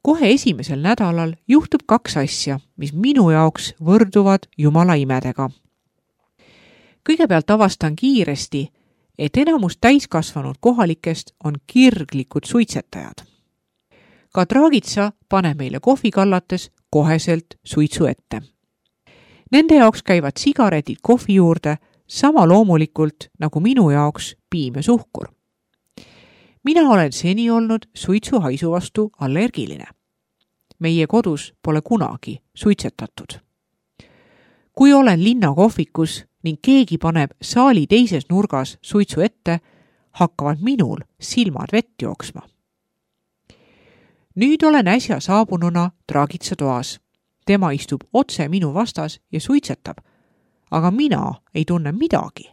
Kohe esimesel nädalal juhtub 2 asja, mis minu jaoks võrduvad Jumala imedega. Kõigepealt avastan kiiresti, et enamus täiskasvanud kohalikest on kirglikud suitsetajad. Ka Dragica paneb meile kohvi kallates koheselt suitsu ette. Nende jaoks käivad sigaretid kohvi juurde sama loomulikult nagu minu jaoks piim ja suhkur. Mina olen seni olnud suitsu haisu vastu allergiline. Meie kodus pole kunagi suitsetatud. Kui olen linnakohvikus ning keegi paneb saali teises nurgas suitsu ette, hakkavad minul silmad vett jooksma. Nüüd olen äsja saabununa Dragica toas. Tema istub otse minu vastas ja suitsetab, aga mina ei tunne midagi.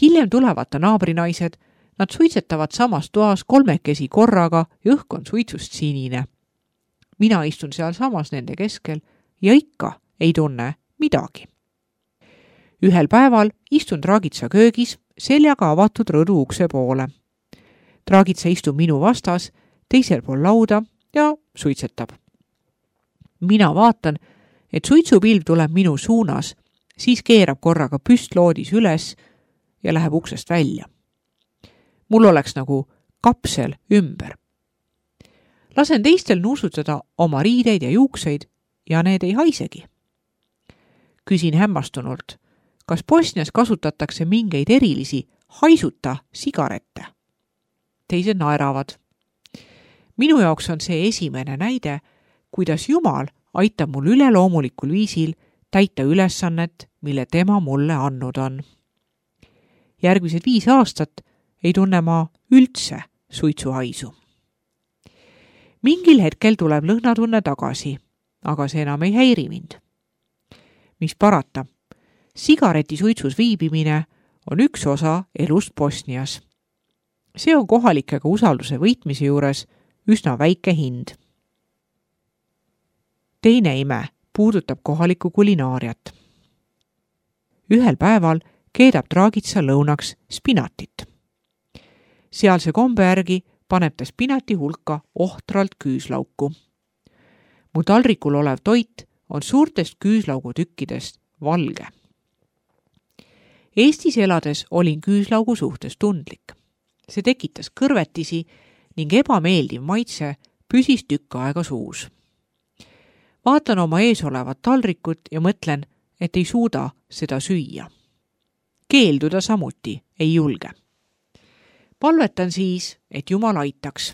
Hiljem tulevad ta naabrinaised, nad suitsetavad samas toas 3 korraga ja õhk on suitsust sinine. Mina istun seal samas nende keskel ja ikka ei tunne midagi. Ühel päeval istun Dragica köögis seljaga avatud rõdu ukse poole. Dragica istub minu vastas, teisel pool lauda ja suitsetab. Mina vaatan, et suitsupilv tuleb minu suunas, siis keerab korraga püstloodis üles ja läheb uksest välja. Mul oleks nagu kapsel ümber. Lasen teistel nuusutada oma riideid ja juukseid ja need ei haisegi. Küsin hämmastunult, kas Bosnias kasutatakse mingeid erilisi haisuta sigarette? Teised naeravad. Minu jaoks on see esimene näide, kuidas Jumal aitab mul üleloomulikul viisil täita ülesannet, mille tema mulle andnud on. Järgmised 5 aastat ei tunne ma üldse suitsuhaisu. Mingil hetkel tuleb lõhnatunne tagasi, aga see enam ei häiri mind. Mis parata, sigareti suitsus viibimine on üks osa elust Bosnias. See on kohalikega usalduse võitmise juures üsna väike hind. Teine ime puudutab kohalikku kulinaariat. Ühel päeval keedab Dragica lõunaks spinatit. Sealse kombe järgi paneb ta spinati hulka ohtralt küüslauku. Mu taldrikul olev toit on suurtest küüslaugutükkidest valge. Eestis elades olin küüslaugu suhtes tundlik. See tekitas kõrvetisi ning ebameeldiv maitse püsis tükk aega suus. Vaatan oma ees olevat taldrikut ja mõtlen, et ei suuda seda süüa. Keelduda samuti ei julge. Palvetan siis, et Jumal aitaks.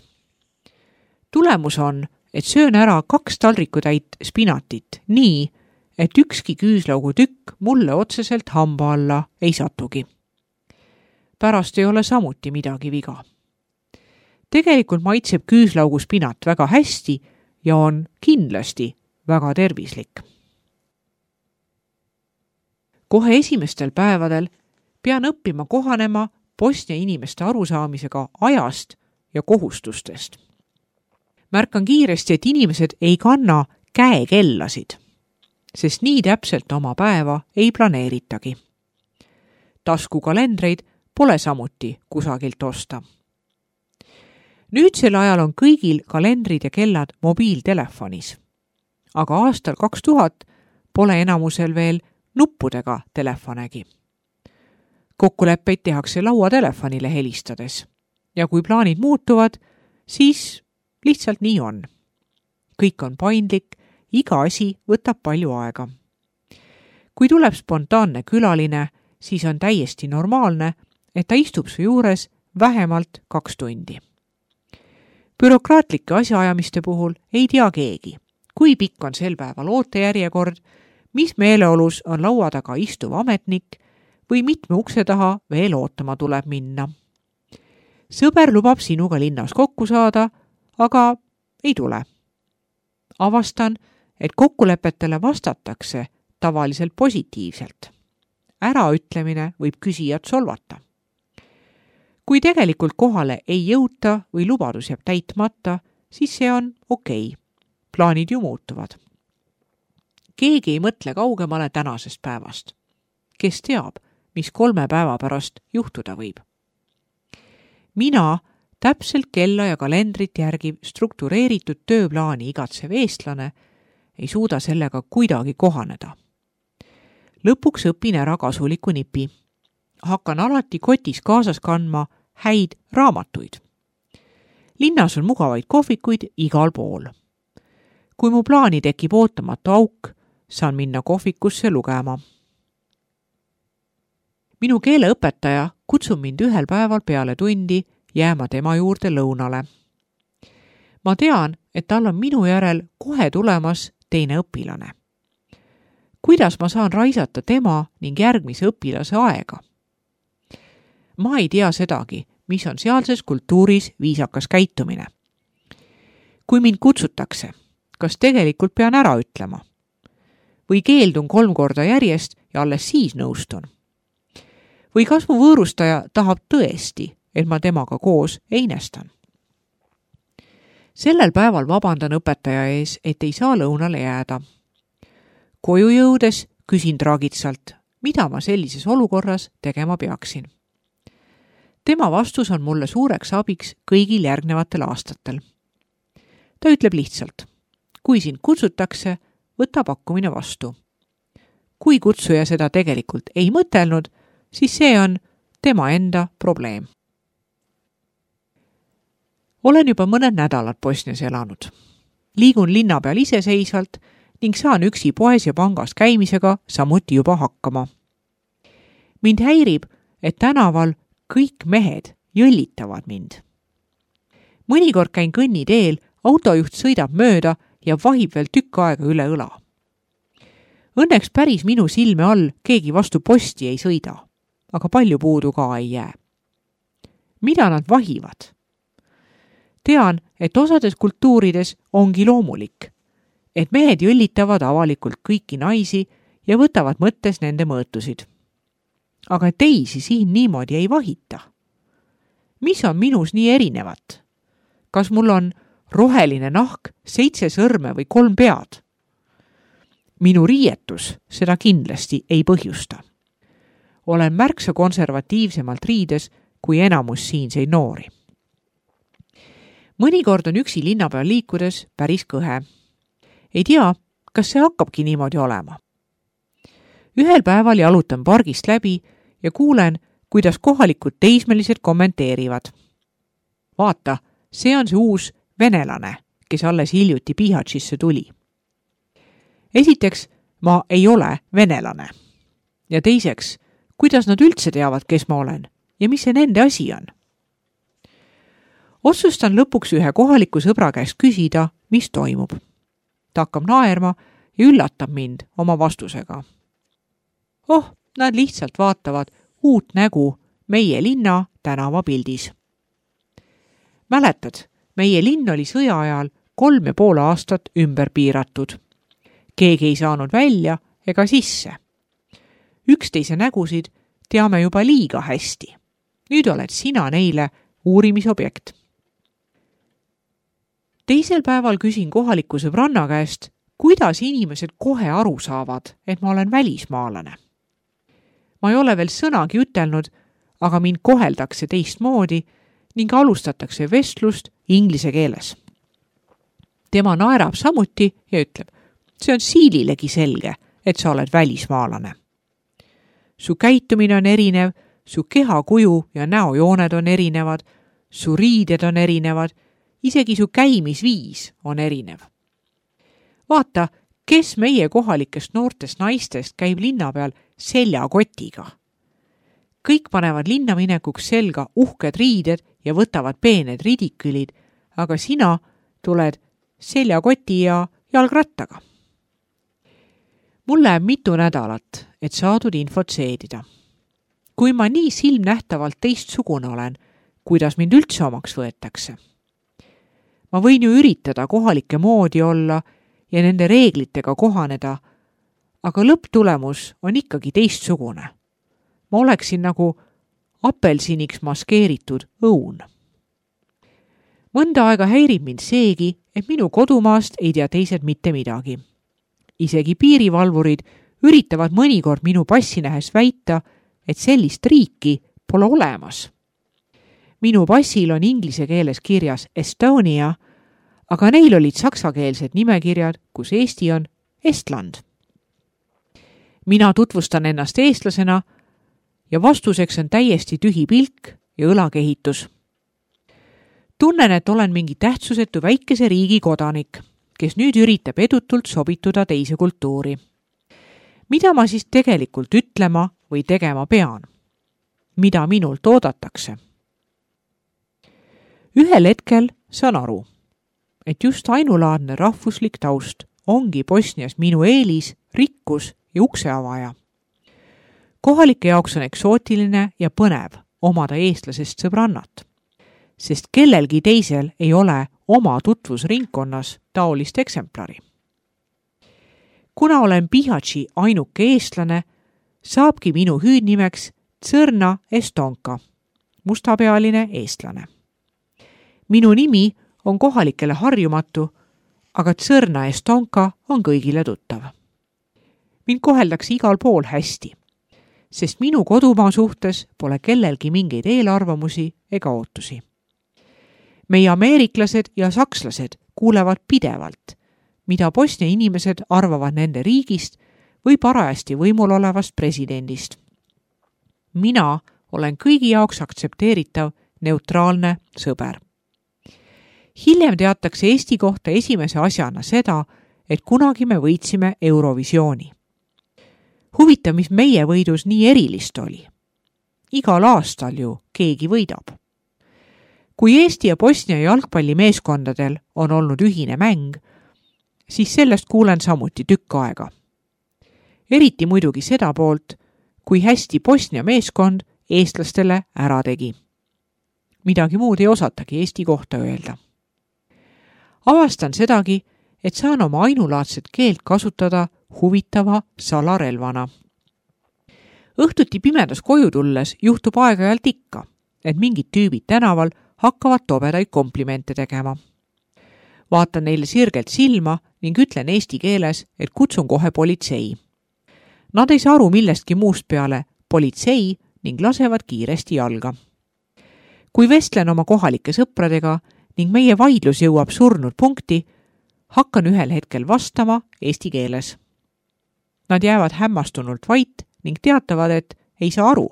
Tulemus on, et söön ära 2 taldrikutäit spinatit nii, et ükski küüslaugu tükk mulle otseselt hamba alla ei satugi. Pärast ei ole samuti midagi viga. Tegelikult maitseb küüslaugu spinat väga hästi ja on kindlasti väga tervislik. Kohe esimestel päevadel pean õppima kohanema Bosnia inimeste arusaamisega ajast ja kohustustest. Märkan kiiresti, et inimesed ei kanna käekellasid, sest nii täpselt oma päeva ei planeeritagi. Taskukalendreid pole samuti kusagilt osta. Nüüdsel ajal on kõigil kalendrid ja kellad mobiiltelefonis, aga aastal 2000 pole enamusel veel nuppudega telefonegi. Kokkuleppeid tehakse lauatelefonile helistades ja kui plaanid muutuvad, siis lihtsalt nii on. Kõik on paindlik, iga asi võtab palju aega. Kui tuleb spontaanne külaline, siis on täiesti normaalne, et ta istub su juures vähemalt 2 tundi. Bürokraatlike asjaajamiste puhul ei tea keegi, kui pikk on sel päeval ootejärjekord, mis meeleolus on laua taga istuv ametnik või mitme ukse taha veel ootama tuleb minna. Sõber lubab sinuga linnas kokku saada, aga ei tule. Avastan, et kokkulepetele vastatakse tavaliselt positiivselt. Äraütlemine võib küsijat solvata. Kui tegelikult kohale ei jõuta või lubadus jääb täitmata, siis see on okei. Plaanid ju muutuvad. Keegi ei mõtle kaugemale tänasest päevast. Kes teab, mis 3 päeva pärast juhtuda võib? Mina täpselt kella ja kalendrit järgiv struktureeritud tööplaani igatsev eestlane ei suuda sellega kuidagi kohaneda. Lõpuks õpin ära kasuliku nipi. Hakkan alati kotis kaasas kandma häid raamatuid. Linnas on mugavaid kohvikuid igal pool. Kui mu plaani tekib ootamatu auk, saan minna kohvikusse lugema. Minu keeleõpetaja kutsub mind ühel päeval peale tundi jääma tema juurde lõunale. Ma tean, et tal on minu järel kohe tulemas teine õpilane. Kuidas ma saan raisata tema ning järgmise õpilase aega? Ma ei tea sedagi, mis on sealses kultuuris viisakas käitumine. Kui mind kutsutakse, kas tegelikult pean ära ütlema? Või keeldun 3 korda järjest ja alles siis nõustun? Või kas mu võõrustaja tahab tõesti, et ma temaga koos einestan? Sellel päeval vabandan õpetaja ees, et ei saa lõunale jääda. Koju jõudes küsin tragitsalt, mida ma sellises olukorras tegema peaksin. Tema vastus on mulle suureks abiks kõigil järgnevatel aastatel. Ta ütleb lihtsalt, kui sind kutsutakse, võta pakkumine vastu. Kui kutsuja seda tegelikult ei mõtelnud, siis see on tema enda probleem. Olen juba mõned nädalad Bosnias elanud. Liigun linna peal iseseisvalt ning saan üksi poes ja pangas käimisega samuti juba hakkama. Mind häirib, et tänaval kõik mehed jõllitavad mind. Mõnikord käin kõnniteel, autojuht sõidab mööda ja vahib veel tükk aega üle õla. Õnneks päris minu silme all keegi vastu posti ei sõida, aga palju puudu ka ei jää. Mida nad vahivad? Tean, et osades kultuurides ongi loomulik, et mehed jõllitavad avalikult kõiki naisi ja võtavad mõttes nende mõõtusid. Aga teisi siin niimoodi ei vahita. Mis on minus nii erinevat? Kas mul on roheline nahk, 7 sõrme või 3 pead? Minu riietus seda kindlasti ei põhjusta. Olen märksa konservatiivsemalt riides kui enamus siinseid noori. Mõnikord on üksi linna peal liikudes päris kõhe. Ei tea, kas see hakkabki niimoodi olema. Ühel päeval jalutan pargist läbi ja kuulen, kuidas kohalikud teismelised kommenteerivad. Vaata, see on see uus venelane, kes alles hiljuti Bihaćisse tuli. Esiteks, ma ei ole venelane. Ja teiseks, kuidas nad üldse teavad, kes ma olen ja mis see nende asi on? Otsustan lõpuks ühe kohaliku sõbra käest küsida, mis toimub. Ta hakkab naerma ja üllatab mind oma vastusega. Nad lihtsalt vaatavad uut nägu meie linna tänavapildis. Mäletad, meie linn oli sõja ajal 3,5 aastat ümber piiratud. Keegi ei saanud välja ega sisse. Üksteise nägusid teame juba liiga hästi. Nüüd oled sina neile uurimisobjekt. Teisel päeval küsin kohaliku sõbranna käest, kuidas inimesed kohe aru saavad, et ma olen välismaalane. Ma ei ole veel sõnagi ütelnud, aga mind koheldakse teistmoodi ning alustatakse vestlust inglise keeles. Tema naerab samuti ja ütleb, see on siililegi selge, et sa oled välismaalane. Su käitumine on erinev, su kehakuju ja näojooned on erinevad, su riided on erinevad, isegi su käimisviis on erinev. Vaata, kes meie kohalikest noortest naistest käib linna peal seljakotiga. Kõik panevad linna minekuks selga uhked riided ja võtavad peened ridikülid, aga sina tuled seljakoti ja jalgrattaga. Mul läheb mitu nädalat, et saadud infot seedida. Kui ma nii silmnähtavalt teistsugune olen, kuidas mind üldse omaks võetakse? Ma võin ju üritada kohalike moodi olla ja nende reeglitega kohaneda, aga lõpptulemus on ikkagi teistsugune. Ma oleksin nagu apelsiniks maskeeritud õun. Mõnda aega häirib mind seegi, et minu kodumaast ei tea teised mitte midagi. Isegi piirivalvurid üritavad mõnikord minu passi nähes väita, et sellist riiki pole olemas. Minu passil on inglise keeles kirjas Estonia, aga neil olid saksakeelsed nimekirjad, kus Eesti on Estland. Mina tutvustan ennast eestlasena ja vastuseks on täiesti tühi pilk ja õlakehitus. Tunnen, et olen mingi tähtsusetu väikese riigi kodanik, kes nüüd üritab edutult sobituda teise kultuuri. Mida ma siis tegelikult ütlema või tegema pean? Mida minult oodatakse? Ühel hetkel saan aru, et just ainulaadne rahvuslik taust ongi Bosnias minu eelis, rikkus ja ukseavaja. Kohalike jaoks on eksootiline ja põnev omada eestlasest sõbrannat, sest kellelgi teisel ei ole oma tutvusringkonnas taolist eksemplari. Kuna olen Bihaći ainuke eestlane, saabki minu hüüdnimeks Crna Estonka, mustapealine eestlane. Minu nimi on kohalikele harjumatu, aga Crna Estonka on kõigile tuttav. Mind koheldakse igal pool hästi, sest minu kodumaa suhtes pole kellelgi mingeid eelarvamusi ega ootusi. Meie ameeriklased ja sakslased kuulevad pidevalt, mida Bosnia inimesed arvavad nende riigist või parajasti võimul olevast presidendist. Mina olen kõigi jaoks aktsepteeritav neutraalne sõber. Hiljem teatakse Eesti kohta esimese asjana seda, et kunagi me võitsime Eurovisiooni. Huvitav, mis meie võidus nii erilist oli. Igal aastal ju keegi võidab. Kui Eesti ja Bosnia jalgpallimeeskondadel on olnud ühine mäng, siis sellest kuulen samuti tükk aega. Eriti muidugi seda poolt, kui hästi Bosnia meeskond eestlastele ära tegi. Midagi muud ei osatagi Eesti kohta öelda. Avastan sedagi, et saan oma ainulaadset keelt kasutada huvitava salarelvana. Õhtuti pimedas koju tulles juhtub aeg-ajalt ikka, et mingid tüübid tänaval hakkavad tobedaid komplimente tegema. Vaatan neile sirgelt silma ning ütlen eesti keeles, et kutsun kohe politsei. Nad ei saa aru millestki muust peale politsei ning lasevad kiiresti jalga. Kui vestlen oma kohalike sõpradega ning meie vaidlus jõuab surnud punkti, hakkan ühel hetkel vastama eesti keeles. Nad jäävad hämmastunult vait ning teatavad, et ei saa aru.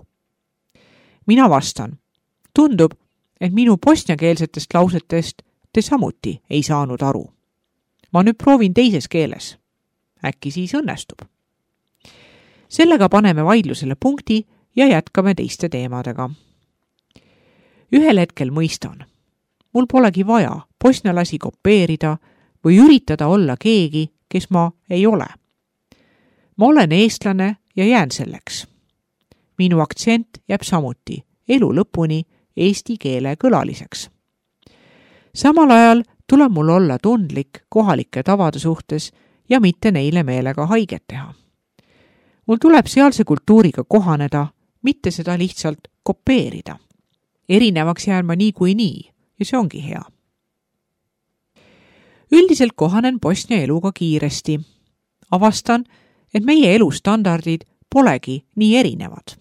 Mina vastan. Tundub, et minu bosniakeelsetest lausetest te samuti ei saanud aru. Ma nüüd proovin teises keeles. Äkki siis õnnestub. Sellega paneme vaidlusele punkti ja jätkame teiste teemadega. Ühel hetkel mõistan. Mul polegi vaja bosnialasi kopeerida või üritada olla keegi, kes ma ei ole. Ma olen eestlane ja jään selleks. Minu aktsent jääb samuti elu lõpuni eesti keele kõlaliseks. Samal ajal tuleb mul olla tundlik kohalike tavade suhtes ja mitte neile meelega haiget teha. Mul tuleb sealse kultuuriga kohaneda, mitte seda lihtsalt kopeerida. Erinevaks jään ma nii ja see ongi hea. Üldiselt kohanen Bosnia eluga kiiresti. Avastan, et meie elustandardid polegi nii erinevad.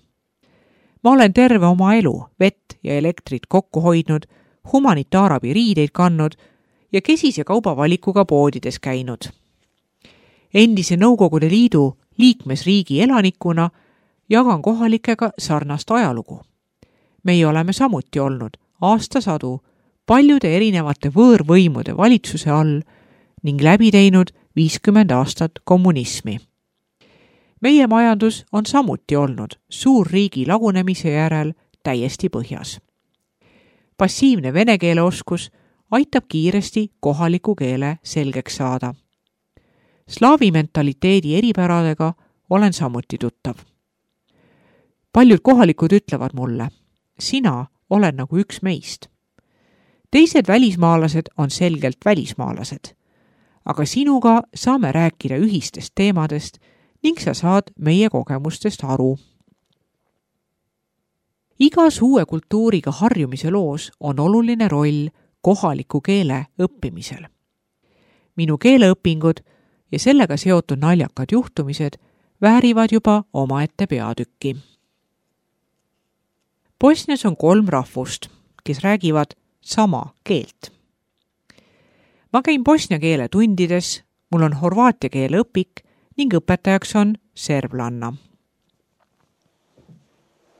Ma olen terve oma elu vett ja elektrit kokku hoidnud, humanitaarabi riideid kandnud ja kesise kaubavalikuga poodides käinud. Endise Nõukogude Liidu liikmesriigi elanikuna jagan kohalikega sarnast ajalugu. Meie oleme samuti olnud aastasadu paljude erinevate võõrvõimude valitsuse all ning läbi teinud 50 aastat kommunismi. Meie majandus on samuti olnud suurriigi lagunemise järel täiesti põhjas. Passiivne vene keele oskus aitab kiiresti kohaliku keele selgeks saada. Slaavi mentaliteedi eripäradega olen samuti tuttav. Paljud kohalikud ütlevad mulle, sina oled nagu üks meist. Teised välismaalased on selgelt välismaalased, aga sinuga saame rääkida ühistest teemadest ning sa saad meie kogemustest aru. Igas uue kultuuriga harjumise loos on oluline roll kohaliku keele õppimisel. Minu keeleõpingud ja sellega seotud naljakad juhtumised väärivad juba omaette peatükki. Bosnias on 3 rahvust, kes räägivad sama keelt. Ma käin bosnia keele tundides, mul on horvaatia keele õpik ning õpetajaks on serblanna.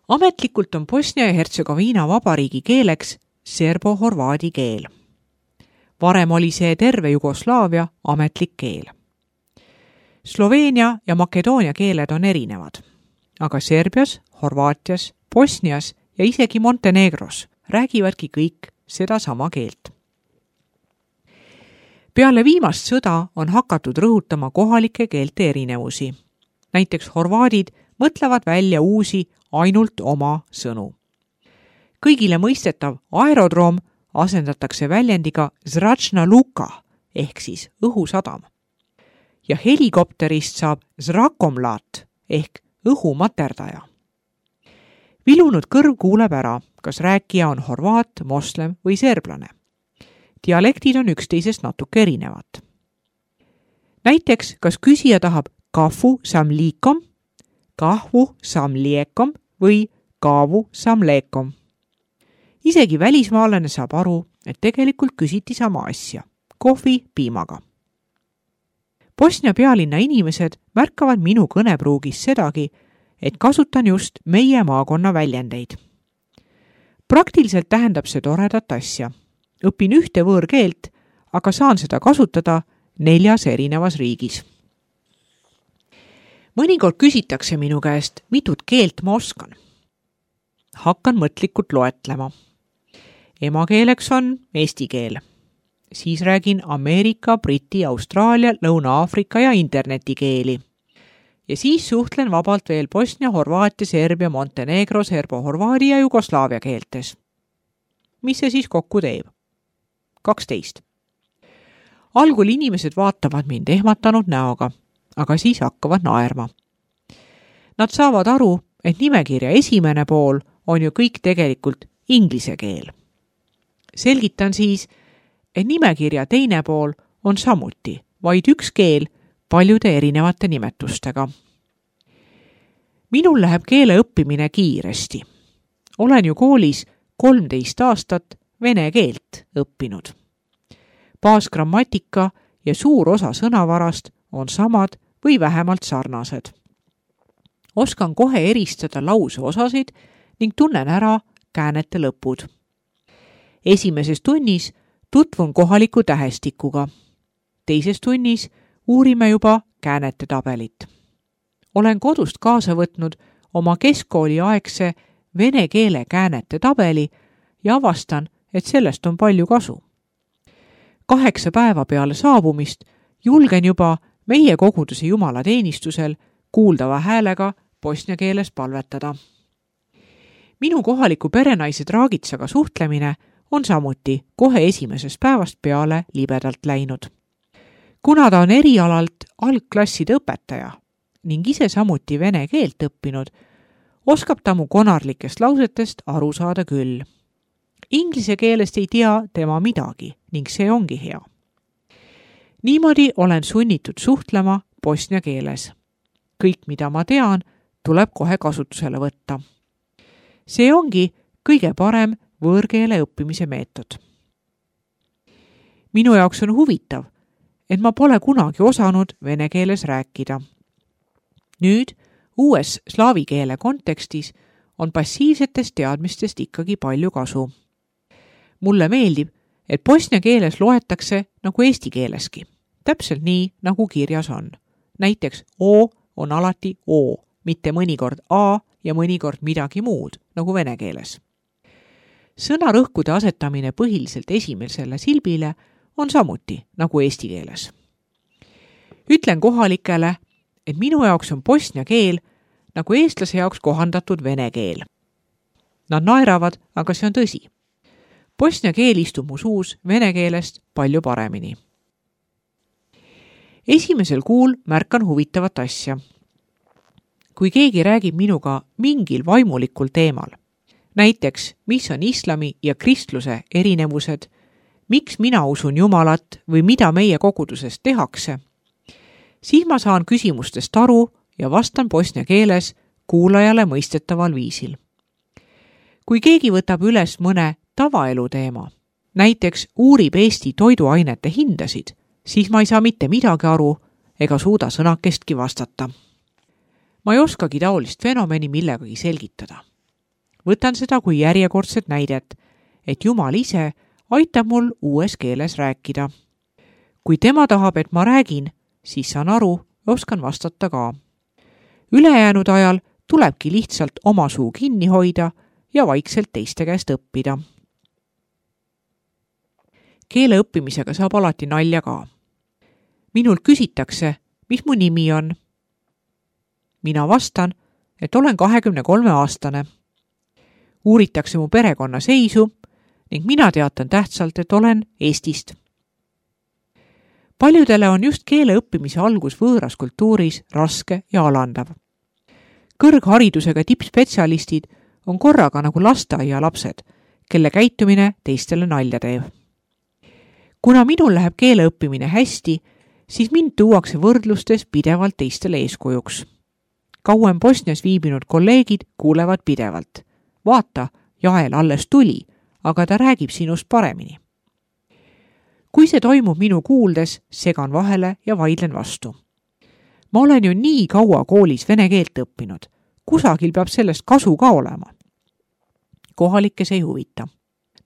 Ametlikult on Bosnia ja Hertsegoviina vabariigi keeleks serbo-horvaadi keel. Varem oli see terve Jugoslaavia ametlik keel. Sloveenia ja Makedoonia keeled on erinevad, aga Serbias, Horvaatias, Bosnias ja isegi Montenegros räägivadki kõik seda sama keelt. Peale viimast sõda on hakatud rõhutama kohalike keelte erinevusi. Näiteks horvaadid mõtlevad välja uusi ainult oma sõnu. Kõigile mõistetav aerodroom asendatakse väljendiga zračna luka ehk siis õhusadam. Ja helikopterist saab zrakomlat ehk õhumaterdaja. Vilunud kõrv kuuleb ära, kas rääkija on horvaat, moslem või serblane. Dialektid on üksteisest natuke erinevad. Näiteks, kas küsija tahab kahvu sam liikom, kahvu sam liekom või kaavu sam leekom. Isegi välismaalane saab aru, et tegelikult küsiti sama asja, kohvi piimaga. Bosnia pealinna inimesed märkavad minu kõnepruugis sedagi, et kasutan just meie maakonna väljendeid. Praktiliselt tähendab see toredat asja. Õpin ühte võõrkeelt, aga saan seda kasutada 4 erinevas riigis. Mõnikord küsitakse minu käest, mitut keelt ma oskan. Hakkan mõtlikult loetlema. Emakeeleks on eesti keel. Siis räägin Ameerika, Briti, Austraalia, Lõuna-Aafrika ja internetikeeli. Ja siis suhtlen vabalt veel Bosnia, Horvaatia, Serbia, Montenegro, serbo-horvaadi ja Jugoslaavia keeltes. Mis see siis kokku teeb? 12. Algul inimesed vaatavad mind ehmatanud näoga, aga siis hakkavad naerma. Nad saavad aru, et nimekirja esimene pool on ju kõik tegelikult inglise keel. Selgitan siis, et nimekirja teine pool on samuti vaid üks keel paljude erinevate nimetustega. Minul läheb keele õppimine kiiresti. Olen ju koolis 13 aastat vene keelt õppinud. Baasgrammatika ja suur osa sõnavarast on samad või vähemalt sarnased. Oskan kohe eristada lause osasid ning tunnen ära käänete lõpud. Esimeses tunnis tutvun kohaliku tähestikuga. Teises tunnis uurime juba käänete tabelit. Olen kodust kaasa võtnud oma keskkooli aegse vene keele käänete tabeli ja avastan, et sellest on palju kasu. 8 päeva peale saabumist julgen juba meie koguduse jumalateenistusel kuuldava häälega bosnia keeles palvetada. Minu kohaliku perenaise Draagitsaga suhtlemine on samuti kohe esimesest päevast peale libedalt läinud. Kuna ta on erialalt algklasside õpetaja ning ise samuti vene keelt õppinud, oskab ta mu konarlikest lausetest aru saada küll. Inglise keelest ei tea tema midagi ning see ongi hea. Niimoodi olen sunnitud suhtlema bosnia keeles. Kõik, mida ma tean, tuleb kohe kasutusele võtta. See ongi kõige parem võõrkeele õppimise meetod. Minu jaoks on huvitav, et ma pole kunagi osanud vene keeles rääkida. Nüüd, uues slaavi keele kontekstis on passiivsetest teadmistest ikkagi palju kasu. Mulle meeldib, et bosnia keeles loetakse nagu eesti keeleski. Täpselt nii, nagu kirjas on. Näiteks O on alati O, mitte mõnikord A ja mõnikord midagi muud, nagu vene keeles. Sõnarõhkude asetamine põhiliselt esimesele silbile on samuti nagu eesti keeles. Ütlen kohalikele, et minu jaoks on bosnia keel nagu eestlase jaoks kohandatud vene keel. Nad naeravad, aga see on tõsi. Bosnia keel istub mu suus vene keelest palju paremini. Esimesel kuul märkan huvitavat asja. Kui keegi räägib minuga mingil vaimulikul teemal, näiteks mis on islami ja kristluse erinevused, miks mina usun Jumalat või mida meie koguduses tehakse, siis ma saan küsimustest aru ja vastan bosnia keeles kuulajale mõistetaval viisil. Kui keegi võtab üles mõne tavaelu teema, näiteks uurib Eesti toiduainete hindasid, siis ma ei saa mitte midagi aru ega suuda sõnakestki vastata. Ma ei oskagi taolist fenomeni millegagi selgitada. Võtan seda kui järjekordset näidet, et Jumal ise aitab mul uues keeles rääkida. Kui tema tahab, et ma räägin, siis saan aru ja oskan vastata ka. Ülejäänud ajal tulebki lihtsalt oma suu kinni hoida ja vaikselt teiste käest õppida. Keele õppimisega saab alati nalja ka. Minult küsitakse, mis mu nimi on. Mina vastan, et olen 23-aastane. Uuritakse mu perekonna seisu ning mina teatan tähtsalt, et olen Eestist. Paljudele on just keele õppimise algus võõras kultuuris raske ja alandav. Kõrgharidusega tippspetsialistid on korraga nagu lasteaialapsed, kelle käitumine teistele nalja teeb. Kuna minul läheb keele õppimine hästi, siis mind tuuakse võrdlustes pidevalt teistele eeskujuks. Kauem Bosnias viibinud kolleegid kuulevad pidevalt. Vaata, Jael alles tuli, aga ta räägib sinust paremini. Kui see toimub minu kuuldes, segan vahele ja vaidlen vastu. Ma olen ju nii kaua koolis vene keelt õppinud. Kusagil peab sellest kasu ka olema. Kohalikes ei huvita.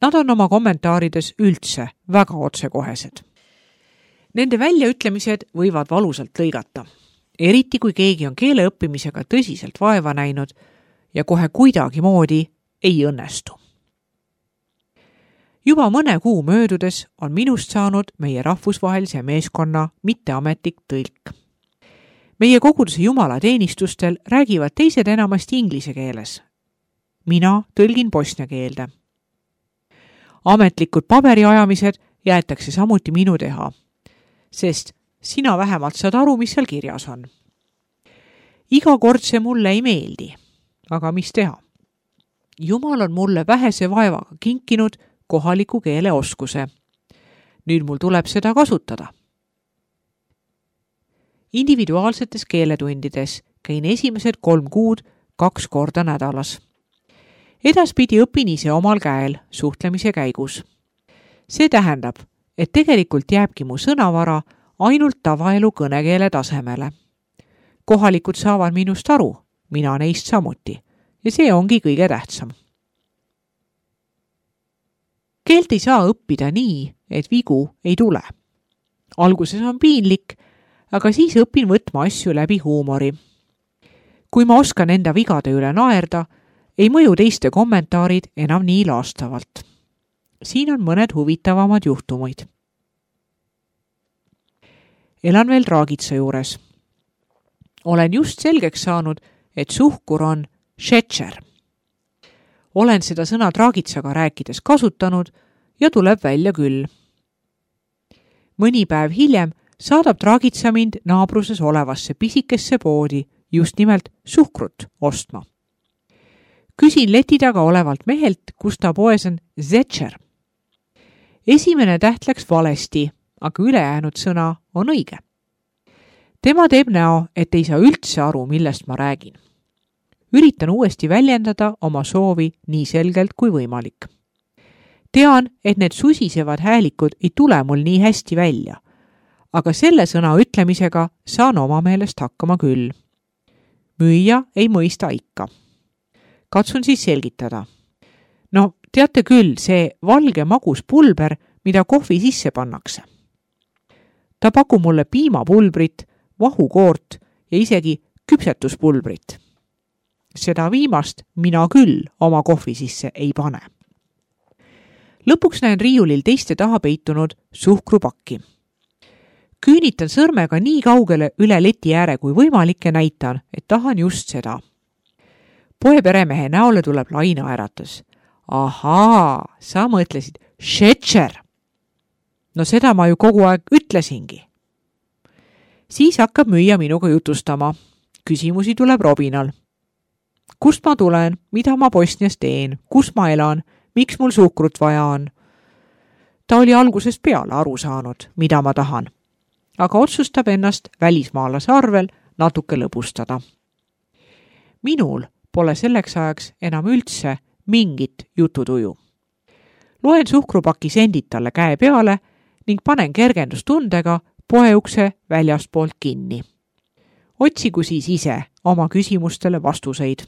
Nad on oma kommentaarides üldse väga otsekohesed. Nende väljaütlemised võivad valusalt lõigata. Eriti kui keegi on keele õppimisega tõsiselt vaeva näinud ja kohe kuidagi moodi ei õnnestu. Juba mõne kuu möödudes on minust saanud meie rahvusvahelise meeskonna mitteametlik tõlk. Meie koguduse jumalateenistustel räägivad teised enamasti inglise keeles. Mina tõlgin bosnia keelde. Ametlikud paberiajamised jäetakse samuti minu teha, sest sina vähemalt saad aru, mis seal kirjas on. Iga kord see mulle ei meeldi, aga mis teha? Jumal on mulle vähese vaevaga kinkinud kohaliku keele oskuse. Nüüd mul tuleb seda kasutada. Individuaalsetes keeletundides käin esimesed 3 kuud 2 korda nädalas. Edaspidi õpin ise omal käel suhtlemise käigus. See tähendab, et tegelikult jääbki mu sõnavara ainult tavaelu kõnekeele tasemele. Kohalikud saavad minust aru, mina neist samuti, ja see ongi kõige tähtsam. Keelt ei saa õppida nii, et vigu ei tule. Alguses on piinlik, aga siis õpin võtma asju läbi huumori. Kui ma oskan enda vigade üle naerda, ei mõju teiste kommentaarid enam nii laastavalt. Siin on mõned huvitavamad juhtumid. Elan veel Dragica juures. Olen just selgeks saanud, et suhkur on šećer. Olen seda sõna Dragicaga rääkides kasutanud ja tuleb välja küll. Mõni päev hiljem saadab Dragica mind naabruses olevasse pisikesse poodi just nimelt suhkrut ostma. Küsin leti taga olevalt mehelt, kus ta poes on šećer. Esimene täht läks valesti, aga ülejäänud sõna on õige. Tema teeb näo, et ei saa üldse aru, millest ma räägin. Üritan uuesti väljendada oma soovi nii selgelt kui võimalik. Tean, et need susisevad häälikud ei tule mul nii hästi välja, aga selle sõna ütlemisega saan oma meelest hakkama küll. Müüja ei mõista ikka. Katsun siis selgitada. No, teate küll, see valge magus pulber, mida kohvi sisse pannakse. Ta pakub mulle piimapulbrit, vahukoort ja isegi küpsetuspulbrit. Seda viimast mina küll oma kohvi sisse ei pane. Lõpuks näen riiulil teiste taha peitunud suhkrupakki. Küünitan sõrmega nii kaugele üle leti ääre kui võimalik ja näitan, et tahan just seda. Poeperemehe näole tuleb lainaäratus. Ahaa, sa mõtlesid šećer. No seda ma ju kogu aeg ütlesingi. Siis hakkab müüja minuga jutustama. Küsimusi tuleb robinal. Kust ma tulen, mida ma Bosnias teen, kus ma elan, miks mul suhkrut vaja on. Ta oli algusest peale aru saanud, mida ma tahan, aga otsustab ennast välismaalase arvel natuke lõbustada. Minul pole selleks ajaks enam üldse mingit jututuju. loen suhkrupaki sendid talle käe peale ning panen kergendustundega poeukse väljastpoolt kinni. Otsigu siis ise oma küsimustele vastuseid.